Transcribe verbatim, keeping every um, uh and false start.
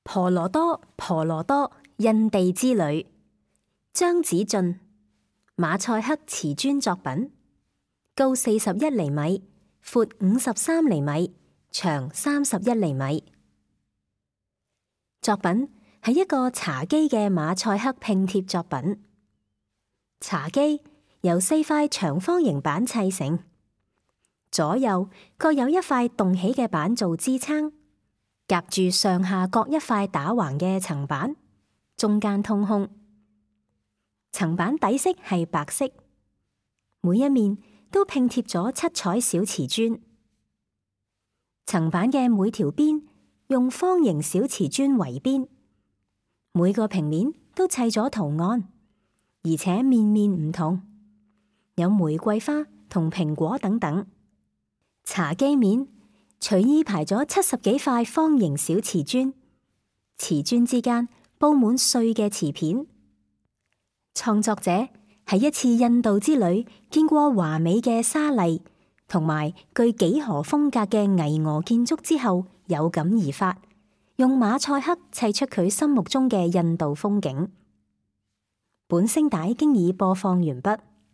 婆羅多，婆羅多，印地之旅。張子晉，馬賽克瓷磚作品，高四十一厘米，闊五十三厘米，長三十一厘米。作品係一個茶几嘅馬賽克拼貼作品。茶几由四塊長方形板砌成，左右各有一塊動起嘅板做支撐，夾住上下各一塊打橫嘅層板，中間通空。層板底色係白色，每一面都拼貼咗七彩小瓷磚。層板嘅每條邊用方形小瓷磚圍邊，每個平面都砌咗圖案，而且面面唔同，有玫瑰花同蘋果等等。茶几面隨意排咗七十幾塊方形小瓷磚，瓷磚之間布滿碎嘅瓷片。創作者喺一次印度之旅見過華美嘅沙麗同埋具幾何風格嘅巍峨建築之後，有感而發，用馬賽克砌出佢心目中嘅印度風景。本聲帶經已播放完畢。